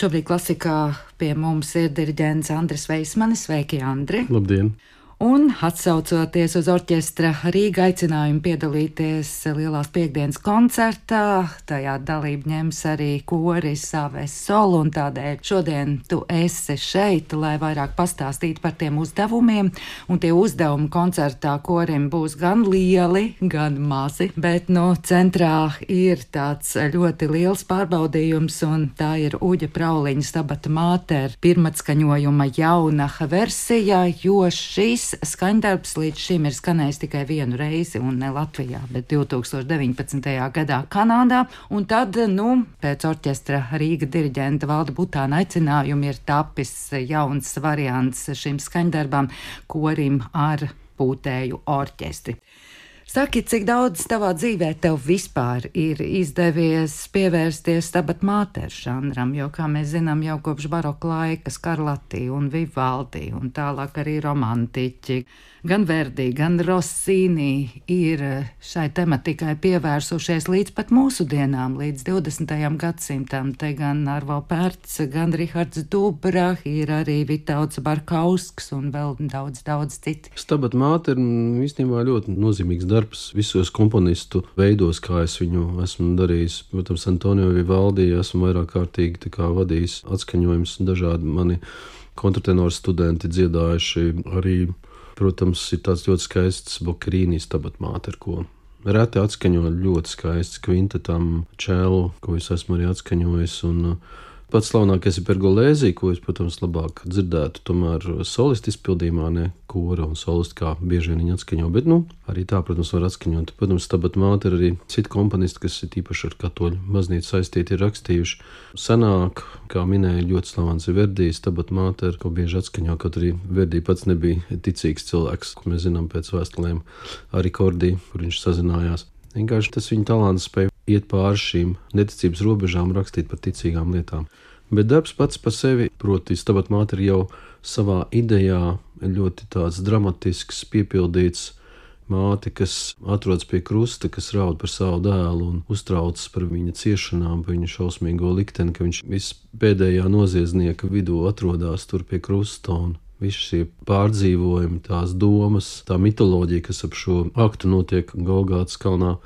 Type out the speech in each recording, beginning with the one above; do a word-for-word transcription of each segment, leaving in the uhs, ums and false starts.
Šobrīd klasikā pie mums ir diriģents Andris Veismanis. Sveiki, Andri! Labdien! Un, atsaucoties uz orķestra Rīga aicinājumu piedalīties Lielās Piektdienas koncertā, tajā dalību ņems arī koris Aves Sol, un tādēļ šodien tu esi šeit, lai vairāk pastāstītu par tiem uzdevumiem, un tie uzdevumi koncertā korim būs gan lieli, gan mazi, bet, nu, centrā ir tāds ļoti liels pārbaudījums, un tā ir Uģa Prauliņa Stabata Mater pirmatskaņojuma jauna versija, jo šis skaņdarbs līdz šim ir skanējis tikai vienu reizi, un ne Latvijā, bet divi tūkstoši deviņpadsmitajā gadā Kanādā, un tad, nu, pēc orķestra Rīga diriģenta Valda Butāna aicinājuma ir tapis jauns variants šim skaņdarbam, korim ar pūtēju orķestri. Saki, cik daudz tavā dzīvē tev vispār ir izdevies pievērsties Stabat Mater žanram, jo, kā mēs zinām, jau kopš baroka laika Skarlatti un Vivaldi un tālāk arī romantiķi, gan Verdi, gan Rossini ir šai tematikai pievērsušies līdz pat mūsu dienām, līdz divdesmitajam gadsimtam. Te gan Arvo Pērts, gan Rihards Dubra, ir arī Vitauds Barkausks un vēl daudz, daudz citi. Stabat Mater īstenībā ļoti nozīmīgs darbs visos komponistu veidos, kā es viņu esmu darījis. Protams, Antonio Vivaldi esmu vairāk kārtīgi tā kā vadījis atskaņojums, dažādi mani kontrtenoru studenti dziedājuši arī. Protams, ir tāds ļoti skaists Boccherini Stabat Mater, ko reti atskaņo, ļoti skaists kvintetam čelu, ko es esmu arī atskaņojis, un pats slavenākais ir Pergolēzī, ko es, protams, labāk dzirdētu, tomēr solistu izpildījumā, ne kora un solistu, kā bieži vien viņi atskaņo, bet, nu, arī tā, protams, var atskaņot. Protams, Stabat Mater arī citi komponisti, kas ir īpaši ar katoļu baznīcu saistīti, ir rakstījuši. Senāk, kā minēja, ļoti slavens ir Verdi Stabat Mater, ko bieži atskaņo, kaut arī Verdi pats nebija ticīgs cilvēks, ko mēs zinām pēc vēstulēm arī Kordī, kur viņš sazinājās. Vienkārši tas viņa talants spēja iet pāri šīm neticības robežām, rakstīt par ticīgām lietām. Bet darbs pats par sevi, proti Stabat Mater jau savā idejā ļoti tāds dramatisks, piepildīts māte, kas atrodas pie krusta, kas raud par savu dēlu un uztraucas par viņa ciešanām, par viņa šausmīgo likteni, ka viņš vispēdējā noziedznieka vidū atrodas tur pie krusta, un visi šie pārdzīvojumi, tās domas, tā mitoloģija, kas ap šo aktu notiek Golgātas kalnā,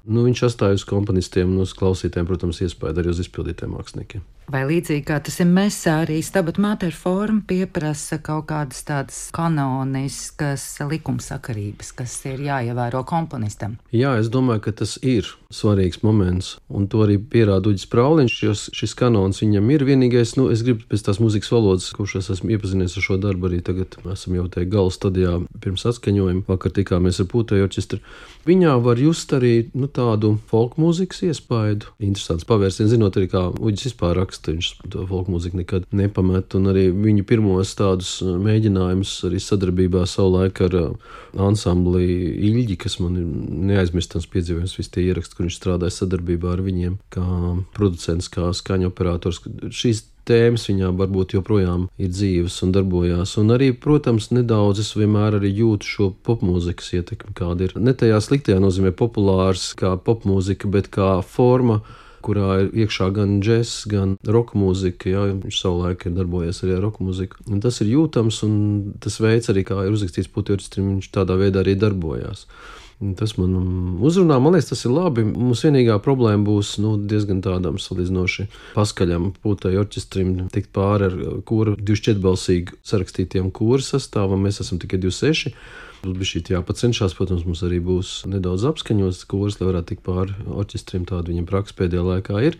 nu, viņš atstāja uz komponistiem un uz klausītēm, protams, iespēju arī uz izpildītiem māksliniekiem. Vai līdzīgi kā tas ir mesā, arī Stabat Mater forma pieprasa kaut kādas tādas kanoniskas likumsakarības, kas ir jāievēro komponistam? Jā, es domāju, ka tas ir svarīgs moments, un to arī pierāda Uģis Prauliņš, jo šis kanons viņam ir vienīgais, nu, es gribu pēc tās mūzikas valodas, kurš es esmu iepazinies ar šo darbu, arī tagad esam jau te gala stadijā pirms atskaņojuma, vakar tikāmies ar pūtēju orķestru. Viņā var just arī, nu, tādu folkmūzikas iespaidu, interesants pavērsiens, zinot arī, kā Uģis vispār raksta. Viņš to folkmūziku nekad nepamet, un arī viņu pirmos tādus mēģinājumus arī sadarbībā savulaik ar ansambli Ilģi, kas man ir neaizmirstams piedzīvojums, visi tie ieraksti, kur viņš strādāja sadarbībā ar viņiem, kā producents, kā skaņu operators. Šīs tēmas viņām varbūt joprojām ir dzīves un darbojās, un arī, protams, nedaudz es vienmēr arī jūtu šo popmūzikas ietekmi, kāda ir. Ne tajā sliktajā nozīmē populārs kā popmūzika, bet kā forma, kurā ir iekšā gan džess, gan roka mūzika, jā, viņš savulaik ir darbojies arī ar roka mūziku. Un tas ir jūtams, un tas veids arī, kā ir uzrakstīts pūtēju orķestrim, viņš tādā veidā arī darbojās. Un tas man uzrunā, man liekas, tas ir labi. Mums vienīgā problēma būs, nu, diezgan tādam salīdzinoši paskaļam pūtēju orķestrim tikt pāri ar kora divšķietbalsīgi sarakstītiem kora sastāvam, mēs esam tikai divi seši. Būs bišķi jāpacenšās, protams, mums arī būs nedaudz apskaņots kurs, lai varētu tikt pāri orķestrim, tāda viņam praksa pēdējā laikā ir,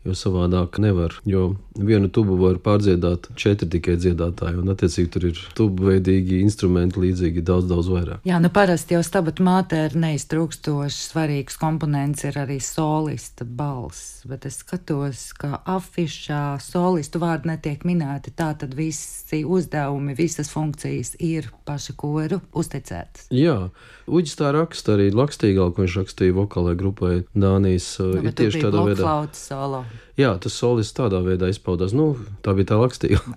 jo savādāk nevar, jo vienu tubu var pārdziedāt četri tikai dziedātāji, un attiecīgi tur ir tubu veidīgi instrumenti līdzīgi daudz, daudz vairāk. Jā, nu parasti jau Stabat Mater neiztrūkstoši svarīgs komponents ir arī solista balss, bet es skatos, ka afišā solistu vārdi netiek minēti, tā tad visi uzdevumi, visas funkcijas ir paša koru uzticētas. Jā, Uģis tā raksta arī Lakstīgā, ko viņš rakstīja vokālai grupai Dānijas, nu, ir tieši tādā veidā. Blokflautas solo. Jā, tas solists tādā veidā izpaudās. Nu, tā bija tā lakstība.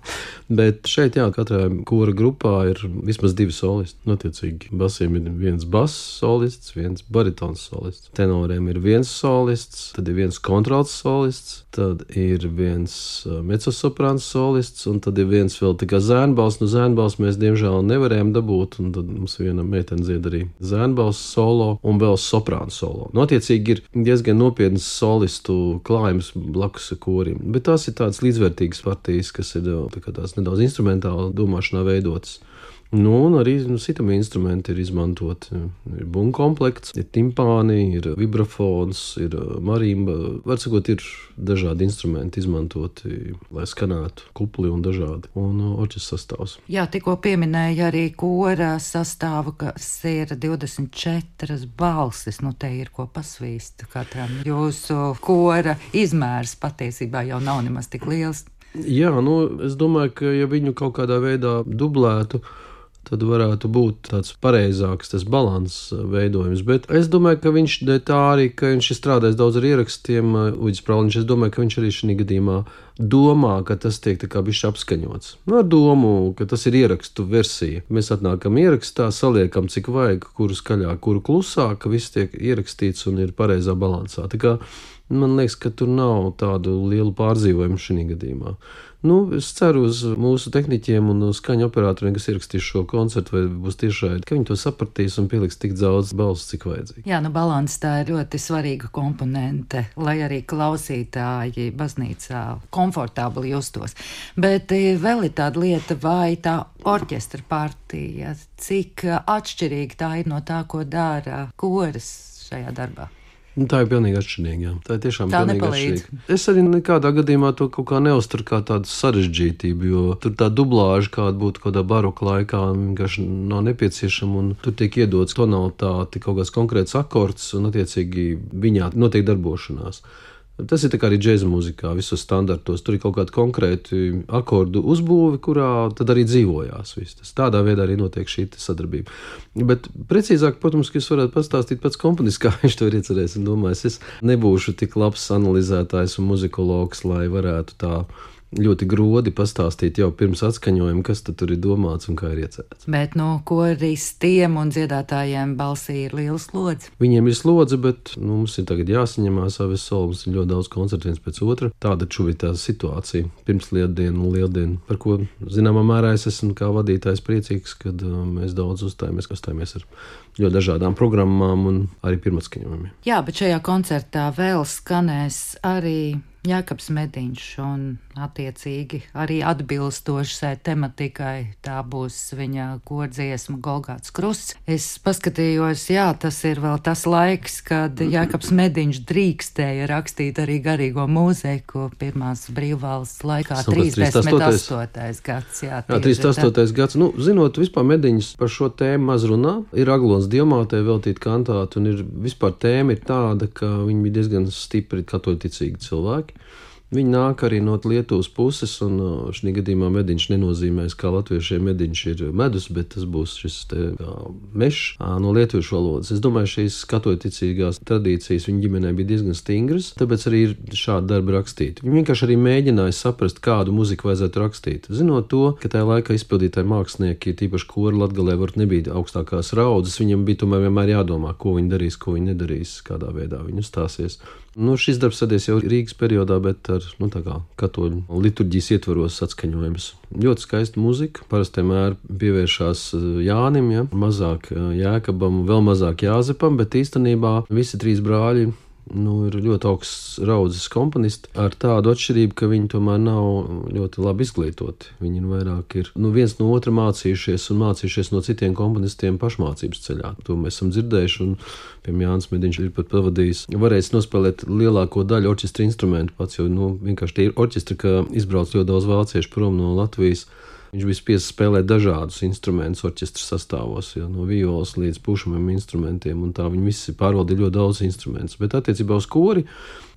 Bet šeit, jā, katrā kora grupā ir vismaz divi solisti. Notiecīgi, basiem ir viens bass solists, viens baritons solists. Tenoriem ir viens solists, tad ir viens kontralts solists, tad ir viens mezzosoprāns solists, un tad ir viens vēl tā kā zēnbalss. Nu, zēnbalss mēs diemžēl nevarējām dabūt, un tad mums viena meitene dzied arī zēnbalss solo un vēl soprāns solo. Notiecīgi ir diezgan nopietnas solistu klājums blakus korim. Bet tās ir tādas līdzvērtīgas partijas, kas ir tā kā tās nedaudz instrumentāli domāšanā veidotas. Nu, un arī nu, sitami instrumenti ir izmantoti. Ir bunga komplekts, ir timpāni, ir vibrafons, ir marimba. Var sakot, ir dažādi instrumenti izmantoti, lai skanētu kupli un dažādi. Un orķestra sastāvs. Jā, tikko pieminēja arī kora sastāvu, kas ir divdesmit četras balsis. Nu, te ir ko pasvīst katram. Jūsu kora izmērs patiesībā jau nav nemaz tik liels. Jā, nu, es domāju, ka ja viņu kaut kādā veidā dublētu, tad varētu būt tāds pareizāks tas balanss veidojums. Bet es domāju, ka viņš tā arī, ka viņš ir strādājis daudz ar ierakstiem, Uģis Prauliņš, es domāju, ka viņš arī šī gadījumā domā, ka tas tiek tā kā bišķi apskaņots. Nu, ar domu, ka tas ir ierakstu versija. Mēs atnākam ierakstā, saliekam, cik vajag, kuru skaļāk, kuru klusāk, ka viss tiek ierakstīts un ir pareizā balansā. Tā kā man liekas, ka tur nav tādu lielu pārdzīvojumu šī gadījumā. Nu, es ceru uz mūsu tehniķiem un uz skaņu operatoriem, kas ierakstīs šo koncertu, vai būs tiešraidi, ka viņi to sapratīs un pieliks tik daudz balss, cik vajadzīgi. Jā, nu balans tā ir ļoti svarīga komponente, lai arī klausītāji baznīcā komfortabli justos. Bet vēl ir tāda lieta, vai tā orķestra partija, cik atšķirīga tā ir no tā, ko dara koris šajā darbā? Nu, tā ir pilnīgi atšķirīga. Jā. Tā ir tiešām tā pilnīgi nepalīdz. Atšķirīga. Es arī nekādā gadījumā to kaut kā neuzturu kā tādu sarežģītību, jo tur tā dublāža, kāda būtu kādā baroka laikā, vienkārši nav nepieciešama, un tur tiek iedots tonalitāte, kaut kāds konkrēts akords, un attiecīgi viņā notiek darbošanās. Tas ir tā kā arī džēza mūzikā, visos standartos. Tur ir kaut kādi konkrēti akordu uzbūvi, kurā tad arī dzīvojās viss. Tas tādā veidā arī notiek šī sadarbība. Bet precīzāk, protams, ka jūs varētu pastāstīt pats komponists, kā viņš to ir iecerējis un domājis. Es nebūšu tik labs analizētājs un muzikologs, lai varētu tā ļoti grodi pastāstīt jau pirms atskaņojuma, kas tad tur ir domāts un kā ir iecerēts. Bet no koristiem un dziedātājiem balsī ir liela slodze. Viņiem ir slodze, bet nu, mums ir tagad jāsaņemās Aves Sol, mums ir ļoti daudz koncertu viens pēc otra. Tāda šobrīd tā situācija pirms lieldienu un lieldienu, par ko zināmā mērā es esmu kā vadītājs priecīgs, kad uh, mēs daudz uzstājamies, uzstājamies ar ļoti dažādām programmām un arī pirmatskaņojumiem. Jā, bet šajā koncertā vēl skanēs arī Jākabs Mediņš un attiecīgi arī atbilstoši šai tematikai. Tā būs viņa kordziesma Golgāts krusts. Es paskatījos, jā, tas ir vēl tas laiks, kad Jākabs Mediņš drīkstēja rakstīt arī garīgo mūziku pirmās brīvvalsts laikā, trīsdesmit astotais gads. Jā, jā trīsdesmit astotais gads. Nu, zinot, vispār Mediņš par šo tēmu maz runā. Ir Aglons Diamātei veltīt kantātu, un ir vispār tēma ir tāda, ka viņi bija diezgan stipri katoļticīgi cilvēki. Viņi nāk arī no Lietuvas puses, un šī gadījumā Mediņš nenozīmēs, kā latviešiem Mediņš ir medus, bet tas būs šis te mešs no lietuviešu valodas. Es domāju, šīs katoļticīgās tradīcijas viņa ģimenē bija diezgan stingras, tāpēc arī ir šādi darbi rakstīti. Viņi vienkārši arī mēģināja saprast, kādu muziku vajadzētu rakstīt. Zinot to, ka tajā laikā izpildītāji mākslinieki, tīpaši kori Latgalē, varbūt nebija augstākās raudzes, viņam bija tomēr vienmēr jādomā, ko viņi darīs, ko viņi nedarīs, kādā veidā viņi uzstāsies. Nu, šis darbs sadies jau Rīgas periodā, bet ar, nu, tā kā katoļu liturģijas ietvaros atskaņojums. Ļoti skaista muzika, parasti vienmēr pievēršās Jānim, ja? Mazāk Jēkabam, vēl mazāk Jāzepam, bet īstenībā visi trīs brāļi nu, ir ļoti augsts raudzes komponisti ar tādu atšķirību, ka viņi tomēr nav ļoti labi izglītoti. Viņi vairāk ir nu, viens no otra mācījušies un mācījušies no citiem komponistiem pašmācības ceļā. To mēs esam dzirdējuši, un piemēram Jānis Mediņš ir pat pavadījis, varēs nospēlēt lielāko daļu orķestra instrumentu pats, jo nu, vienkārši tie ir orķestri, ka izbrauc ļoti daudz vāciešu prom no Latvijas. Viņš bija spiests spēlēt dažādus instrumentus orķestra sastāvos, ja, no violas līdz pušamiem instrumentiem, un tā viņi visi pārvaldīja ļoti daudz instrumentus. Bet attiecībā uz kori,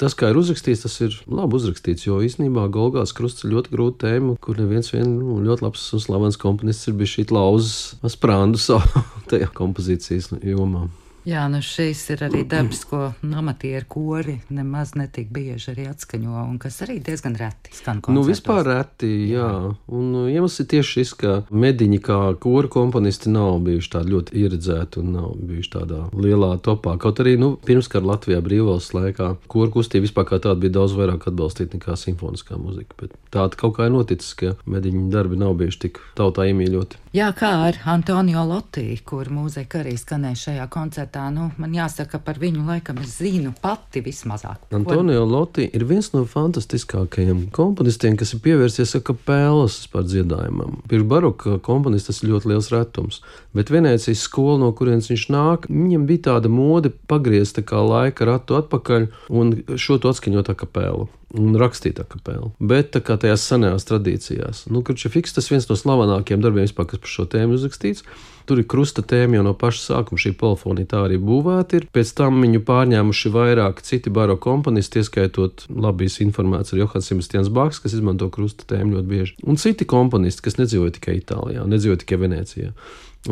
tas, kā ir uzrakstīts, tas ir labi uzrakstīts, jo īstenībā Golgāts krusts ir ļoti grūta tēma, kur neviens vien nu, ļoti labs un slavens komponists ir bijis šī lauzes sprāndu savu tajā kompozīcijas jomā. Jā, nu šis ir arī darbs, ko amatieru kori nemaz netik bieži arī atskaņo, un kas arī diezgan reti skan koncertos. Nu, vispār reti, jā. jā. Un iemesls ir tieši šis, ka mediņi kā koru komponisti nav bijuši tādi ļoti ieredzēti un nav bijuši tādā lielā topā. Kaut arī, nu, pirmskar Latvijā brīvvalsts laikā koru kustība vispār kā tāda bija daudz vairāk atbalstīta nekā simfoniskā muzika, bet tāda kaut kā ir noticis, ka mediņu darbi nav bijuši tik tautā iemīļoti. Jā, kā ar Antonio Lotti, kur mūzika arī skanēja šajā koncertā. Nu, man jāsaka, par viņu laikam es zinu pati vismazāk. Antonio Lotti ir viens no fantastiskākajiem komponistiem, kas ir pievērsies akapēlas par dziedājumam. Pirms baroka komponists tas ir ļoti liels retums, bet Venēcijas skola, no kurienes viņš nāk, viņam bija tāda mode pagriezt tā kā laika ratu atpakaļ un šo to atskaņot akapēlu. Un rakstīt akapēlu. Bet tā kā tajās senajās tradīcijās. Nu, Kručefiks, tas viens no slavenākajiem darbiem vispār, kas par šo tēmu uzrakstīts. Tur ir krusta tēma jau no paša sākuma, šī polifonija tā arī būvēta ir. Pēc tam viņu pārņēmuši vairāk citi baroka komponisti, ieskaitot labīs informēts ar Johans Sebastians Bachs, kas izmanto krusta tēmu ļoti bieži. Un citi komponisti, kas nedzīvoja tikai Itālijā, nedzīvoja tikai Venēcijā.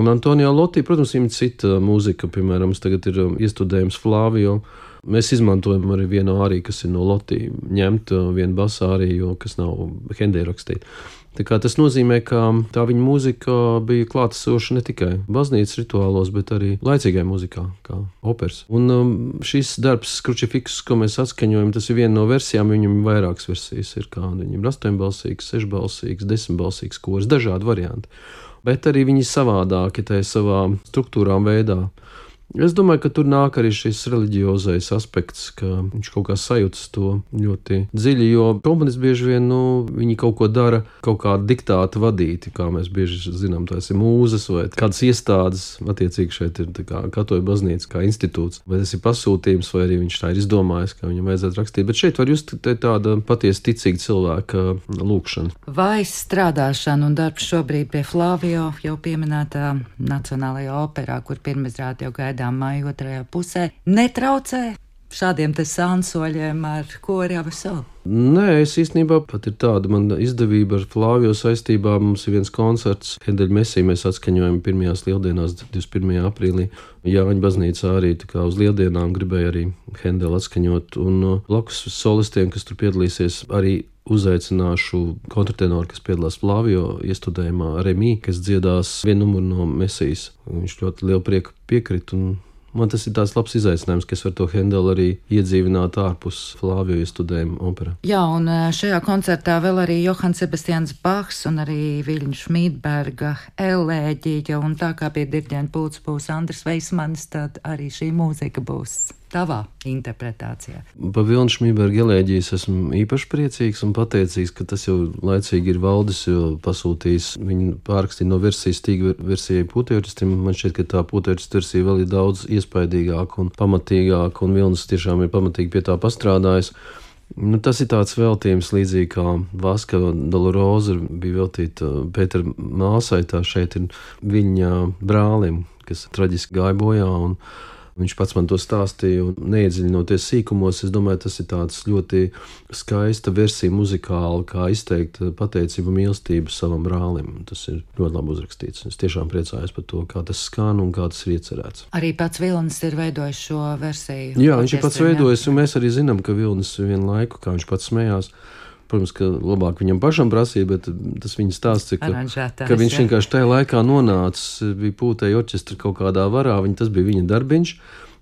Un Antonio Lotti, protams, viņam cita mūzika, piemēram, tagad ir iestudējums Flavio. Mēs izmantojam arī vienu āriju, kas ir no Lotti ņemt, vienu basu āriju, kas nav Hendē rakstīta. Tā kā tas nozīmē, ka tā viņa mūzika bija klātesoša ne tikai baznīcas rituālos, bet arī laicīgai mūzikā, kā operas. Un um, šis darbs Kručefiks, ko mēs atskaņojam, tas ir viena no versijām, viņam ir vairākas versijas, ir kā viņam ir astoņbalsīgs, sešbalsīgs, desmitbalsīgs kors, dažādi varianti. Bet arī viņi savādāki tajā savā struktūrā un veidā. Es domāju, ka tur nāk arī šis reliģiozais aspekts, ka viņš kaut kā sajūtas to ļoti dziļi, jo komponisti bieži vien, nu, viņi kaut ko dara, kaut kādu diktātu vadīti, kā mēs bieži zinām, tās ir mūzes vai kādas iestādes, attiecīgi šeit ir tā kā katoļu baznīca, kā institūts, vai tas ir pasūtījums, vai arī viņš tā ir izdomājis, ka viņam vajadzētu rakstīt, bet šeit var just tāda patiesi ticīga cilvēka lūkšana. Vai strādāšana un darbs šobrīd pie Flavio, jau pieminētā Nacionālajā operā, kur pirmizrādi jau gaida māja otrajā pusē, netraucē šādiem te sansoļiem ar kori Avesolu? Nē, es īstenībā pat ir tāda man izdevība ar Flavio saistībā. Mums ir viens koncerts, Hendeļa Mesiju mēs atskaņojam pirmajās lieldienās, divdesmit pirmajā aprīlī. Jāņa baznīcā arī tā kā uz lieldienām gribēja arī Hendeli atskaņot. Un blakus solistiem, kas tur piedalīsies, arī uzaicināšu kontratenoru, kas piedalās Flavio iestudējumā, Remī, kas dziedās vienu numuru no Mesijas. Viņš ļoti lielu prieku piekrit un man tas ir tāds labs izaicinājums, ka es varu to Hendeli arī iedzīvināt ārpus Flavio iestudējuma operā. Jā, un šajā koncertā vēl arī Johans Sebastians Bachs un arī Viļņa Šmītberga elēģija, un tā kā pie diriģenta pults būs Andris Veismanis, tad arī šī mūzika būs tavā interpretācijā. Pa Viļņa Šmītberga elēģijas esmu īpaši priecīgs un pateicīgs, ka tas jau laicīgi ir Valdis, jo pasūtījis viņu pārrakstīt no versijas tīga versijai pūtējorķistrim. Man šķiet, ka tā pūtējorķist versija vēl ir daudz iespaidīgāka un pamatīgāka, un Vilnis tiešām ir pamatīgi pie tā pastrādājis. Nu, tas ir tāds veltījums līdzīgi kā Vaska Doloroza bija veltīta Pētera māsai, tā šeit ir viņa brālim, kas traģiski gāja bojā, un viņš pats man to stāstīja, un neiedziļinoties sīkumos, es domāju, tas ir tāds ļoti skaista versija muzikāli, kā izteikt pateicību un mīlestību savam brālim. Tas ir ļoti labi uzrakstīts. Es tiešām priecājos par to, kā tas skan un kā tas ir iecerēts. Arī pats Vilnis ir veidojis šo versiju. Jā, viņš ir pats veidojis, un mēs arī zinām, ka Vilnis vienu laiku, kā viņš pats smējās, protams, ka labāk viņam pašam prasīja, bet tas viņa stāsts, ka, ka viņš vienkārši tajā laikā nonācis, bija pūtēja orķestra kaut kādā varā, viņa, tas bija viņa darbiņš.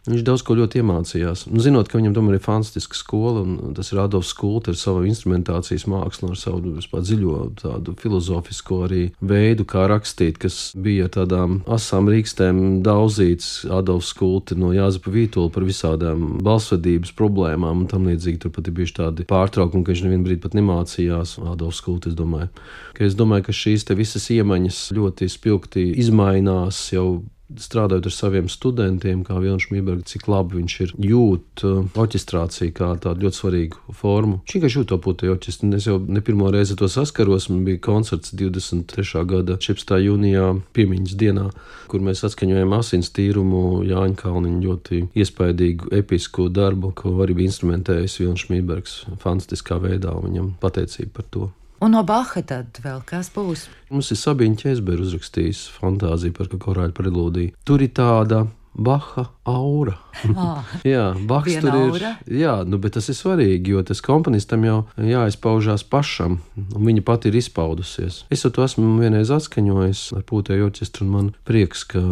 Viņš daudz ko ļoti iemācījās. Un zinot, ka viņam tomēr ir fantastiska skola, un tas ir Adolfs Kulta ar savu instrumentācijas mākslu, ar savu vispār dziļo tādu filozofisko arī veidu, kā rakstīt, kas bija ar tādām asām rīkstēm daudzīts. Adolfs Kulta no Jāzepa Vītola par visādām balsvedības problēmām, un tam līdzīgi tur pat ir bijuši tādi pārtraukumi, ka viņš nevienu brīdi pat nemācījās. Adolfs Kulta, es domāju. Ka es domāju, ka šīs te visas iemaņas ļoti spilgti izmainās jau strādājot ar saviem studentiem, kā Viļņa Šmītberga, cik labi viņš ir jūt uh, orķestrāciju kā tādu ļoti svarīgu formu. Viņš vienkārši jūt to pūtēju orķestri. Es jau ne pirmo reizi to saskaros. Man bija koncerts divdesmit trešā gada četrpadsmitā jūnijā piemiņas dienā, kur mēs atskaņojām Asins tīrumu Jāņa Kalniņa ļoti iespaidīgu episku darbu, ko arī bija instrumentējis Viļņa Šmītbergs fantastiskā veidā, un viņam pateicība par to. Un no Baha tad vēl kas būs? Mums ir Sabīna Ķēzbera uzrakstījis fantāziju par korāļu prelūdiju. Tur ir tāda Baha aura. Ah, jā, Bachs viena tur ir. aura? Jā, nu, bet tas ir svarīgi, jo tas komponistam jau jāizpaužās pašam, un viņa pati ir izpaudusies. Es to esmu vienreiz atskaņojis ar pūtēju orķestru, un man prieks, ka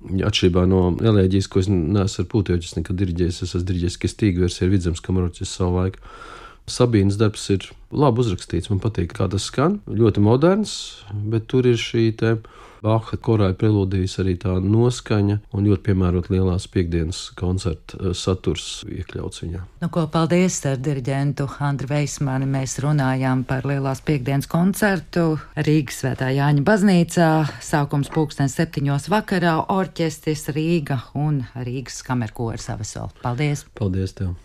atšķirībā no elēģijas, ko es neesmu ar pūtēju orķestru nekad diriģējis, es esmu diriģējis Kestīgu versiju ar Vidzemes kamerorķestru savu laiku. Sabīnas darbs ir labi uzrakstīts, man patīk, kā tas skan, ļoti moderns, bet tur ir šī te Baha korāja prelūdijas arī tā noskaņa un ļoti piemērot lielās piekdienas koncerta saturs iekļauts viņā. Nu, ko, paldies ar diriģentu Andri Veismani. Mēs runājām par lielās piekdienas koncertu Rīgas Svētā Jāņa baznīcā. Sākums pulkstens septiņos vakarā, orķestris Rīga un Rīgas kamerkors Avesol. Paldies! Paldies tev!